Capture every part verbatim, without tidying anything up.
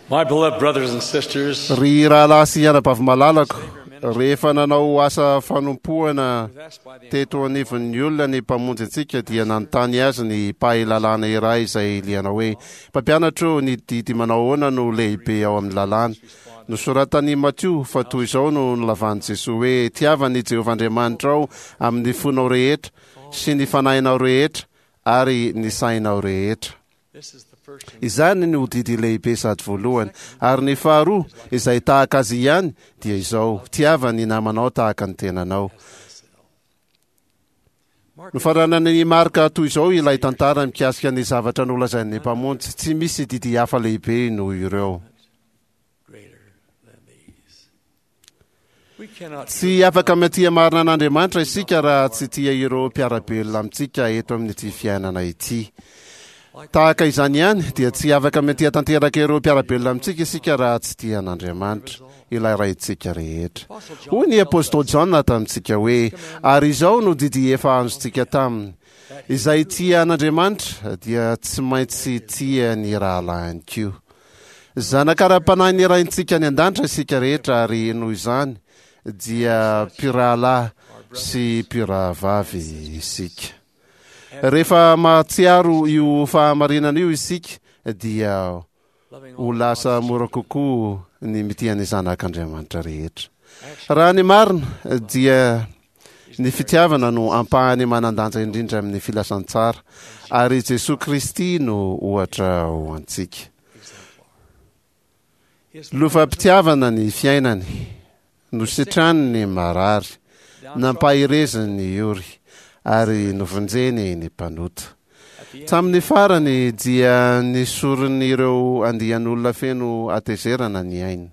My beloved brothers and sisters, Ry rahalahy sy anabavy malalako, rehefa nanao asa fanompoana teto anivon'ny olona ny Mpamonjy antsika, dia nanontany azy ny mpahay lalàna iray izay liana hoe, Mpampianatra ô, ny didy manao ahoana no lehibe ao amin'ny lalàna? Nosoratan'i Matio fa toy izao no nolavan'i Jesoa hoe, Tiava an'i Jehovah Andriamanitrao amin'ny fonao rehetra sy ny fanahinao rehetra ary ny sainao rehetra. Izany no didy lehibe sady voalohany. Ary ny faharoa, izay tahaka azy ihany, dia izao, Tiava ny namanao tahaka ny tenanao. Nofaranan'i Marka toy izao ilay tantara mikasika ny zavatra nolazain'ny Mpamonjy, Tsy misy didy hafa lehibe noho ireo. Tsy afaka mitia marina an'Andriamanitra isika raha tsy tia ireo mpiara-belona amintsika eto amin'ity fiainana ity. Tahaka izany ihany, dia tsy afaka mitia tanteraka ireo mpiara-belona amintsika isika raha tsy tia an'Andriamanitra, ilay Raintsika rehetra. Hoy ny apostoly Jaona tamintsika hoe, Ary izao no didy efa azontsika taminy, Izay tia an'Andriamanitra dia tsy maintsy tia ny rahalahiny koa. Zanaka ara-panahin'ny Raintsika any An-danitra isika rehetra ary noho izany dia mpirahalahy sy mpirahavavy isika. Rehefa mahatsiaro io fahamarinana io isika dia ho lasa mora kokoa ny mitia ny zanak'Andriamanitra rehetra. Raha ny marina dia ny fitiavana no ampahany manan-danja indrindra amin'ny filazantsara, ary Jesoa Kristy no ohatra ho antsika. Lovam-pitiavana ny fiainany, nositrany ny marary, nampahereziny ny ory, ary novonjeny ny mpanota. Tamin'ny farany dia nesorin'ireo andian'olona feno hatezerana ny ainy.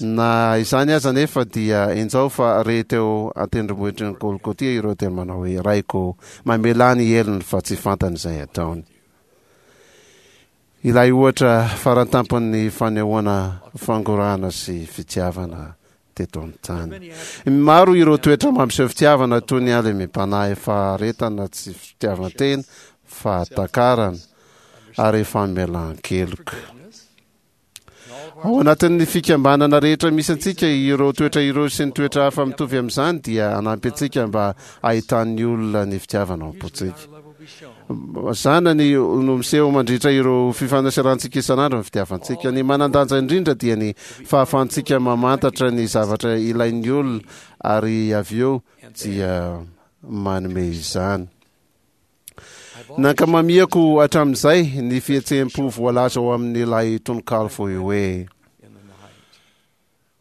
Na izany aza anefa dia injao fa re teo an-tendrombohitry ny Golgotia ireo teny manao hoe, Raiko, mamelà ny helony fa tsy fantany izay ataony. Ilay ohatra farantampon'ny fanehoana fangorahana sy fitiavana teto an-tany. Maro ireo toetra mampiseho fitiavana toy ny halemem-panahy, faharetana, tsy fitiavan-tena, fahatakarana ary famelan-keloka. Ao anatin'ny fikambanana rehetra misy antsika, ireo toetra ireo sy ny toetra hafa mitovy amin'izany dia hanampy antsika mba hahitan'ny olona ny fitiavana ao am-pontsika. Zanany no miseho mandritra ireo fifanaserahantsika isan'andro ny fitiavantsika. Ny manan-danja indrindra dia ny fahafahantsika mamantatra ny zavatra ilain'ny olona ary avy eo dia manome izany. Nankamamiako hatramin'izay ny fihetseham-po voalaza ao amin'ilay tononkalo fohy hoe,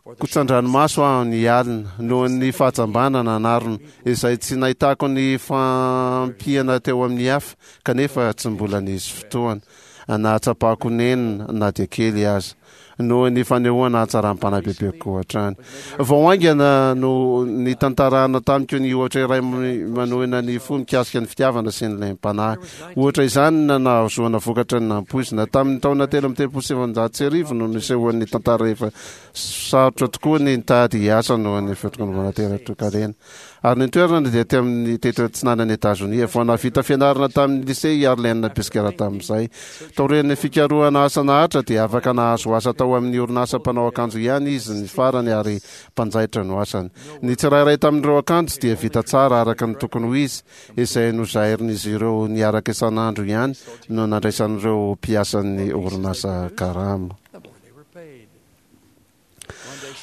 Kotsan-dranomaso aho ny alina noho ny fahajambana nanarona, izay tsy nahitako ny fampiana teo amin'ny hafa, kanefa tsy mbola nisy fotoana nahatsapako nenina na dia kely aza. noho ny fanehoana hatsaram-panahy bebe kokoa hatrany. Vao haingana no nitantarana tamiko ny ohatra iray manohina ny fo mikasika ny fitiavana sy ny lem-panahy. Ohatra izany na nahazoana vokatra ny nampoizina. Tamin'ny taona telo amby telopolo sy sivinjato sy arivo no nisehoan'ny tantara efa sarotra tokoa ny nitady asa noho ny fitokonana tera-toekarena. Ary ny toerana dia teo amin'ny teto atsinanan'i Etazonia. Vao nahavita fianarana tamin'ny lycée i Arlene Piskera tamin'izay. Taorian'ny fikarohana asa naharitra dia afaka nahazo asa tao amin'ny orinasa mpanao akanjo ihany izy ny farany ary mpanjaitra no asany. Ny tsirairay tamin'ireo akanjo dia vita tsara araka ny tokony ho izy, izay nozairin'izy ireo niaraka isan'andro ihany no nandraisan'ireo mpiasan'ny orinasa karama.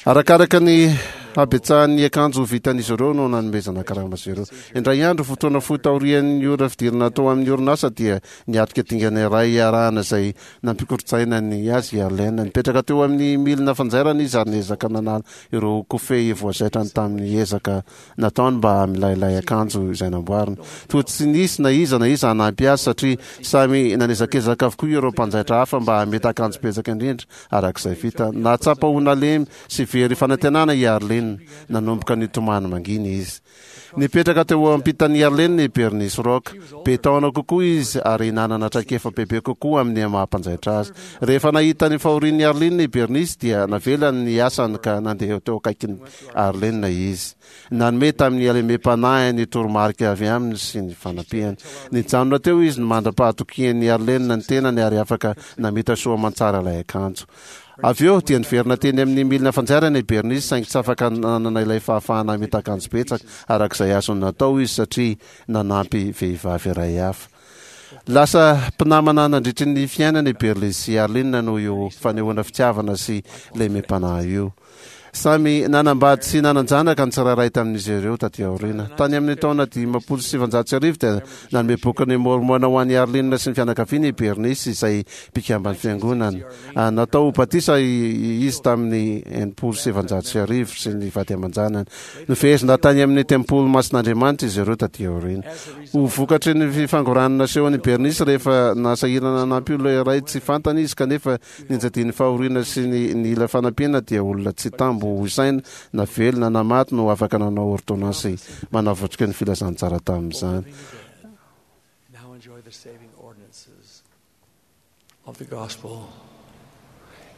Arakaraka ny habetsahan'ny akanjo vitan'izy ireo no nanomezana karama azy ireo. Indray andro, fotoana fohy taorian'ny ora fidirana tao amin'ny orinasa dia niatrika dingana iray iarahana izay nampikorontsaina ny azy i Arlene. Nipetraka teo amin'ny milina fanjairana izy ary niezaka nanala ireo kofehy voazaitrany tamin'ny ezaka nataony mba hamilailay akanjo izay namboariny. Toa tsy nisy na iza na iza hanampy azy satria samy nanezakezaka avokoa ireo mpanjaitra hafa mba hamita akanjo betsaka indrindra araka izay vita. Nahatsapa ho nalemy sy very fanantenana i Arlene. Arlene. Nanomboka nitomany mangina izy. Nipetraka teo ampitan'i Arlene i Bernice Rock. Be taona kokoa izy ary nanana traikefa bebe kokoa amin'ny maha-mpanjaitra azy. Rehefa nahita ny fahorian'i Arlene i Bernice dia navelany ny asany ka nandeha teo akaikin'i Arlene izy. Nanome tamin'ny halemem-panahy ny toromarika avy aminy sy ny fanampiany. Nijanona teo izy ny mandra-pahatokian'i Arlene ny tenany ary afaka namita soa aman-tsara ilay akanjo. Avy eo dia niverina teny amin'ny milina fanjairana i Bernice, saingy tsy afaka nanana ilay fahafahana hamita akanjo betsaka araka izay azony natao izy satria nanampy vehivavy iray hafa. Lasa mpinamana nandritry ny fiainana i Bernice sy Arlene noho io fanehoana fitiavana sy lemem-panahy io. Samy nanambady sy nanan-janaka ny tsirairay tamin'izy ireo taty aoriana. Tany amin'ny taona dimampolo sy sivanjato sy arivo dia nanome bokin'i Môrmôna ho an'i Arlene sy ny fianakaviany i Bernice, izay mpikamban'ny fiangonana. Natao ho batisa izy tamin'ny enimpolo sy sivanjato sy arivo sy ny vady aman-janany. Nofehezina tany amin'ny tempoly masin'Andriamanitra izy ireo taty aoriana. Ho vokatry ny fifangoranana nasehon'i Bernice rehefa nasahirana nanampy olona iray tsy fantany izy, kanefa nianjadian'ny fahoriana sy ny nila fanampiana, dia olona tsy tambo ho isaina na velona na maty no afaka nanao ordonnance manavotrika ny filazantsara tamin'izany. Now enjoy the saving ordinances of the gospel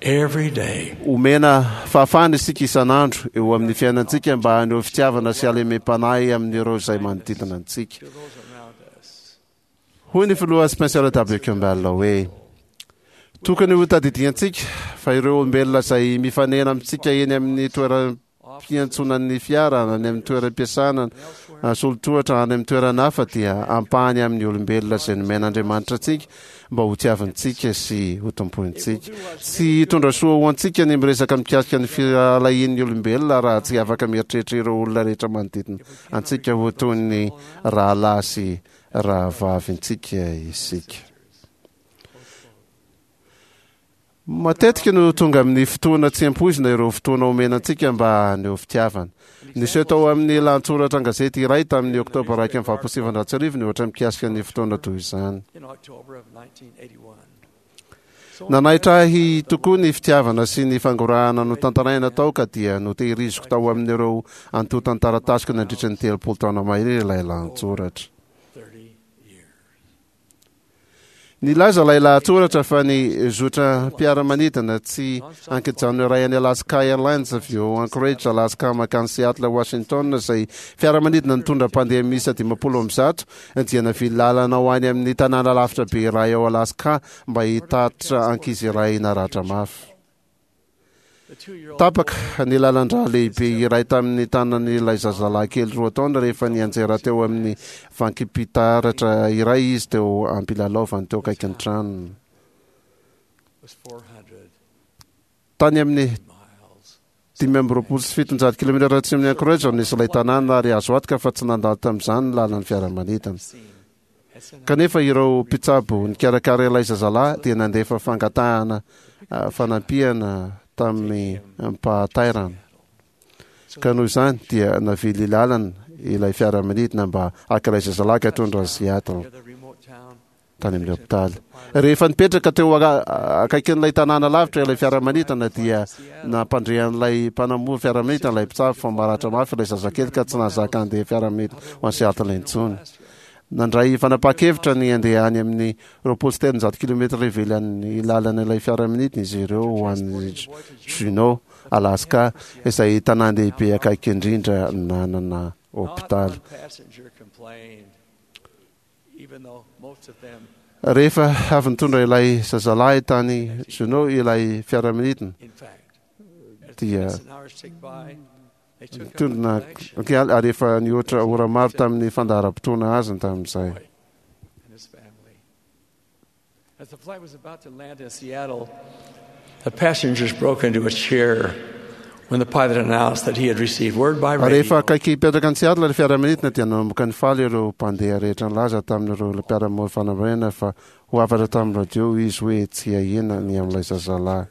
every day. Omena fahafahana isika isan'andro eo amin'ny fiainantsika mba haneho fitiavana sy halemem-panahy amin'ireo izay manodidina antsika. To those around us. Hoy ny filoha Spencer W. Kimball hoe: tokony ho tadidiantsika fa ireo olombelona izay mifanena amintsika eny amin'ny toeram-piantsonan'ny fiara, any amin'ny toeram-piasana, solotohatra, any amin'ny toerana hafa dia ampahany amin'ny olombelona izay nomen'Andriamanitra antsika mba ho tiavintsika sy ho tompointsika. Tsy hitondra soa ho antsika ny miresaka mikasika ny firahalahian'ny olombelona raha tsy afaka mieritreritra ireo olona rehetra manodidina antsika ho toy ny rahalahy sy rahavavintsika isika. Matetika no tonga amin'ny fotoana tsy ampoizina ireo fotoana omena antsika mba haneho fitiavana. Niseho tao amin'ny lahatsoratra an-gazety iray tamin'ny oktobra iraika amby valopolo sy sivinjato sy arivo ny ohatra mikasika ny fotoana toy izany. In October of nineteen eighty-one. Nanaitra ahy tokoa ny fitiavana sy ny fangorahana notantaraina tao ka dia notehiriziko tao amin'ireo antontan-taratasiko nandritra ny telopolo taona mahery ilay lahatsoratra. Thirty years. Nilaza ilay lahatsoratra fa ny zotra mpiara-manidina tsy ankijanona iray any Alaska Airlines avy eo Anchorage, Alaska mankany Seattle, Washington, izay fiaramanidina nitondra mpandeha miisa dimampolo amby zato dia navily lalana ho any amin'ny tanàna lavitra be iray ao Alaska mba hitatitra ankizy iray naratra mafy. The two-year-old Tapaka ny lalan-drà lehibe iray tamin'ny tanan'ilay zazalahy kely roa taona rehefa nianjera teo amin'ny vankim-pitaratra iray izy teo am-pilalaovany teo akaikin'ny tranony. was four hundred Tany amin'ny miles. dimy amby roapolo sy fitonjato kilometatra atsimo amin'ny Anchorage no nisy ilay tanàna ary azo antoka fa tsy nandalo tamin'izany ny lalan'ny fiaramanidina. Seen at San Kanefa ireo mpitsabo nikarakara ilay zazalahy dia nandefa fangatahana, ah, fanampiana tamin'ny mpahatairana. Ka noho izany dia navily lalana ilay fiaramanidina mba haka ilay zazalahy ka hitondra azy Seattle near the remote town tany amin'ny hopitaly. Rehefa nipetraka teo aka-, akaikin'ilay tanàna lavitra ilay fiaramanidina dia nampandrehan'ilay mpanamory fiaramanidina ilay mpitsabo fa maratra mafy ilay zazakely ka tsy nahazaka handeha fiaramanidina ho any Seattle intsony. Nandray fanapahan-kevitra ny handeha any amin'ny roapolo sy telonjato kilometatra ivelan'ny lalana ilay fiaramanidina izy ireo ho any Juneau, Alaska, izay tanàn-dehibe akaiky indrindra nanana Not hopitaly. one passenger complained, even though most of them, Rehefa avy nitondra ilay zazalahy tany Juneau ilay fiaramanidina in fact, as the dia minutes and hours ticked by, they took up a nitondra collection okay, ary efa nihoatra ora maro tamin'ny fandaharam-potoana azy tamin'izay. and his family. As the flight was about to land in Seattle, the passengers broke into a cheer when the pilot announced that he had received word by Rehefa radio akaiky hipetraka any Seattle ilay fiaramanidina dia nanomboka nifaly ireo mpandeha rehetra nilaza tamin'ireo mpiara-mory fanambarana fa ho hafatra tamin'ny radio izy hoe tsy ahiana ny amin'ilay zazalahy.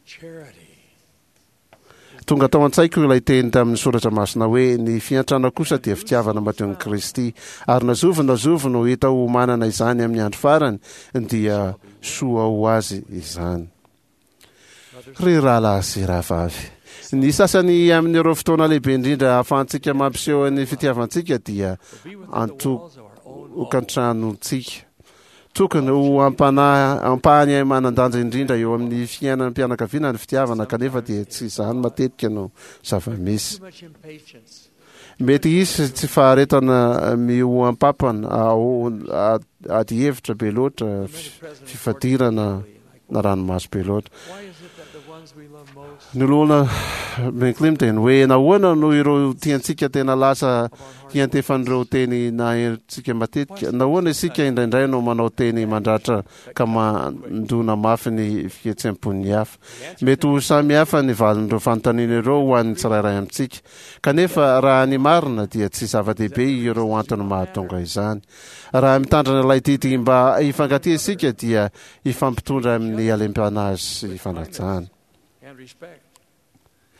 charity. Tonga tao an-tsaiko ilay teny tamin'ny soratra masina hoe ny fiantrana kosa dia fitiavana madion'i Kristy, ary na zovy na zovy no hita ho manana izany amin'ny andro farany dia soa ho azy izany. Ry rahalahy sy rahavavy, Ny sasany amin'ireo fotoana lehibe indrindra ahafahantsika mampiseho ny fitiavantsika dia an-tokantranontsika. Tokony ho ampanahy ampahany manan-danja indrindra eo amin'ny fiainan'ny mpianakaviana ny fitiavana, kanefa dia tsy izany matetika no zava-misy. Too much impatience. Mety hisy tsy faharetana mihoampampana, ao ady hevitra be loatra, fifadirana na ranomaso be loatra. Why is it that the ones we love most Ny olona McLean dia ny hoe nahoana no ireo tiantsika tena lasa hiantefan'ireo teny nahentsika matetika? Nahoana isika indraindray no manao teny mandratra ka mandona mafy ny fihetseham-pon'ny hafa? Mety ho samy hafa ny valin'ireo fanontaniana ireo ho an'ny tsirairay amintsika. Kanefa raha ny marina dia tsy zava-dehibe ireo antony mahatonga izany. Raha mitandrina ilay didy mba hifankatia isika dia hifampitondra amin'ny halemem-panahy sy fanajana. and respect?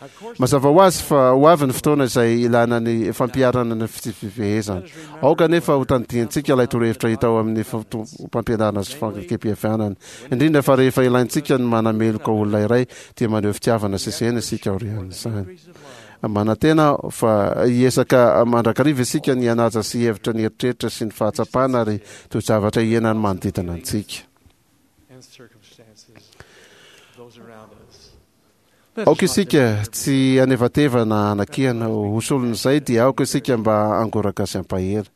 Of course, Mazava ho azy fa ho avy ny fotoana izay ilana ny fampiharana ny fitsipifehezana. Aoka nefa ho tadidiantsika ilay torohevitra hita ao amin'ny foto-pampianarana sy fanekempihavanana. Indrindra fa rehefa ilaintsika ny manameloka olona iray dia maneho fitiavana sy sena isika aorian'izany. degrees of love. Manantena aho fa hiezaka mandrakariva isika ny hanaja sy hevitra ny eritreritra sy ny fahatsapana ary toe-javatra iainan'ny manodidina antsika. and circumstances of those around us. Let us Aoka not isika deserve tsy hanevatevana anakihana ho solon'izay dia aoka isika mba hangoraka sy hampahery.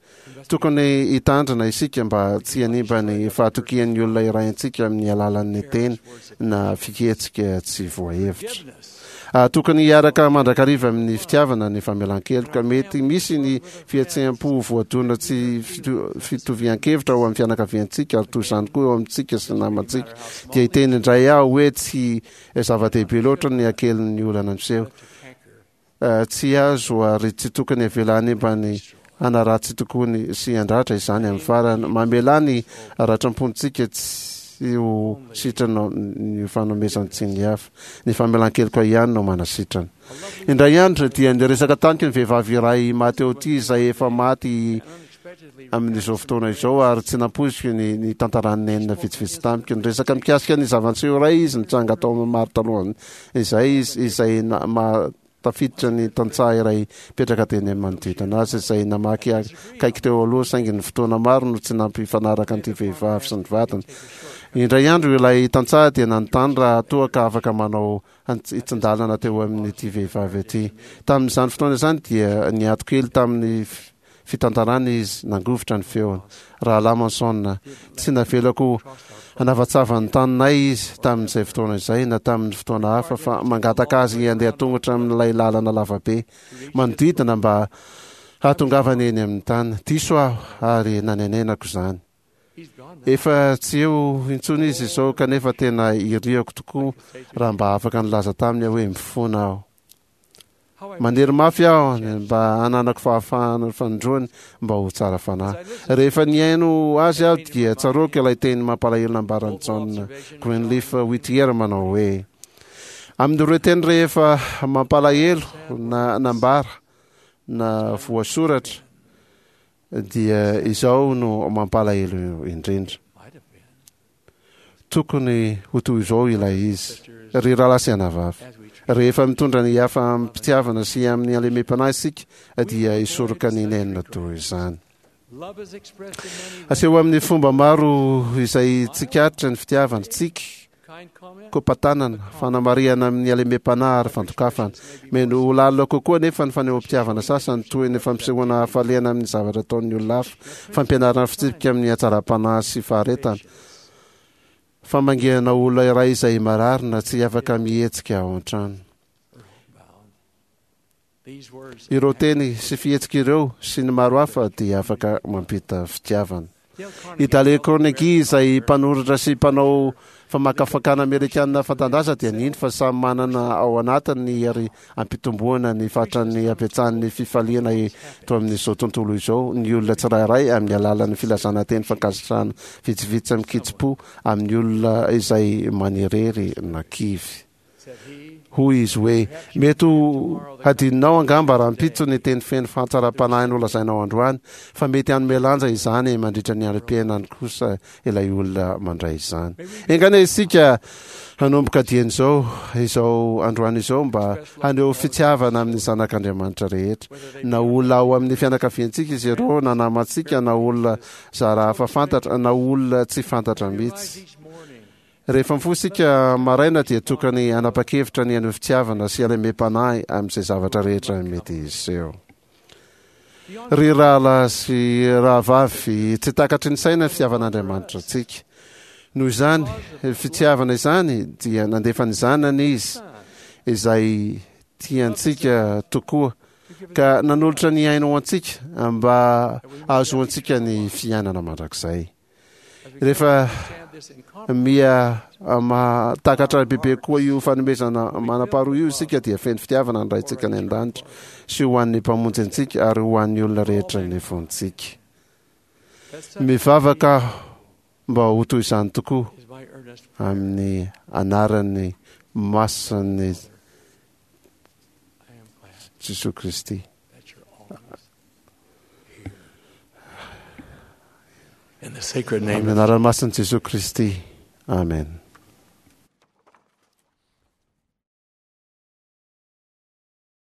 Tokony hitandrina isika mba tsy hanimba ny fahatokian'ny olona iray antsika amin'ny alalan'ny teny na fihetsika tsy voahevitra. forgiveness. Ah, tokony hiaraka mandrakariva amin'ny fitiavana ny famelan-keloka. Mety misy ny fihetseham-po voadona tsy fito- fitovian-kevitra ao amin'ny fianakaviantsika ary toy izany koa eo amintsika sy namantsika. Dia hiteny indray aho hoe tsy zava-dehibe loatra ny hakelin'ny olana miseho. To canker. Eh, tsy azo ary tsy tokony avela hanimba ny hanaratsy tokoa ny sy handratra izany amin'ny farany. Mamela ny ratram-pontsika tsy ho sitrana ny fanomezan-tsiny hafa. Ny famelan-keloka ihany no manasitrana. Indray andro dia niresaka tamiko ny vehivavy iray maty eo ity izay efa maty And unexpectedly amin'izao fotoana izao ary tsy nampoiziko ny, ny tantaran'ny nenina vitsivitsy tamiko. Niresaka mikasika ny zava-niseho iray izy nitranga tao amin'ny maro talohany izay izy izay na- ma- tafiditra ny tantsaha iray mipetraka teny amin'ny manodidina azy izay namaky akaiky teo aloha, saingy ny fotoana maro no tsy nampifanaraka an'ity vehivavy sy ny vadiny. Indray andro ilay tantsaha dia nanontany raha toa ka afaka manao hitsin-dalana teo amin'ity vehivavy ity. Tamin'izany fotoana izany dia niato kely tamin'ny f- fitantarana izy, nangovitra ny feony. Rahalahy Monson, tsy navelako hanavatsava ny taninay izy tamin'izay fotoana izay na tamin'ny fotoana hafa, fa mangataka azy handeha tongotra amin'ilay lalana lavabe manodidina mba hahatongavany eny amin'ny tany. Diso aho ary nanenenako izany. he's gone now. Efa tsy eo intsony izy izao, kanefa tena iriako tokoa raha mba afaka nilaza taminy aho hoe mifona aho. How I Manery mafy aho mba hananako fahafahana fanindroany mba ho tsara fanahy. Rehefa nihaino azy aho dia tsaroako ilay teny mampalahelo nambaran'i John Greenleaf Whittier manao hoe: amin'ireo teny rehefa mampalahelo na nambara na voasoratra dia izao no mampalahelo indrindra. might have been Tokony ho toy izao ilay izy. Ry rahalahy sy anabavy, as we treat rehefa mitondra ny hafa amim-pitiavana sy amin'ny halemem-panahy isika dia hisoroka ny nenina toy izany. love is expressed in many ways. Aseho amin'ny fomba maro izay tsikaritra ny fitiavana: tsiky, Kind comment, kopatanana, fanamarihana amin'ny halemem-panahy ary fandokafana. Mety ho lalina kokoa nefa ny fanehoam-pitiavana sasany toy ny fampisehoana hafaliana amin'ny zavatra ataon'ny olona hafa, fampianarana fitsipika amin'ny hatsaram-panahy sy faharetana, famangiana olona iray izay marary na tsy afaka mihetsika ao an-trano. or homebound. These words Ireo teny sy fihetsika ireo sy ny maro hafa dia afaka mampita fitiavana. Dale I Carnegie Dale Carnegie izay mpanoratra sy mpanao famakafakana amerikanina fanta-daza dia nino fa samy manana ao anatiny ny hery ampitomboana ny fatran'ny habetsahan'ny fifaliana eto amin'izao tontolo izao ny olona tsirairay amin'ny alalan'ny filazana teny fankasitrahana vitsivitsy amin-kitsim-po amin'ny olona izay manirery na kivy. said Hoy izy hoe, mety ho hadinonao angamba rahampitso ny teny feno fahatsaram-panahy nolazainao androany, fa mety hanome lanja izany mandritra ny androm-piainany kosa ilay olona mandray izany. Enga anie isika hanomboka dieny izao, izao androany izao, mba haneho fitiavana amin'ny zanak'Andriamanitra rehetra, na olona ao amin'ny fianakaviantsika izy ireo, na namantsika, na olona zara hafa fantatra, na olona tsy fantatra mihitsy. Rehefa mifoha isika maraina dia tokony hanapa-kevitra ny haneho fitiavana sy halemem-panahy amin'izay zavatra rehetra mety hiseho. Ry rahalahy sy rahavavy, tsy takatry ny saina ny fitiavan'Andriamanitra antsika. Noho izany fitiavana izany dia nandefa ny Zanany Izy, izay tiantsika tokoa, ka nanolotra ny ainy ho antsika mba hahazoantsika ny fiainana mandrakizay. Rehefa miha mahatakatra bebe koa io fanomezana manam-paharoa io isika dia feno fitiavana ny Raintsika any an-danitra sy ho an'ny Mpamonjy antsika ary ho an'ny olona rehetra ny fontsika. Mivavaka aho mba ho toy izany tokoa amin'ny anaran'ny masin'i Jesoa Kristy. Amin'ny anaran'ny masin'i Jesoa Kristy. Amen.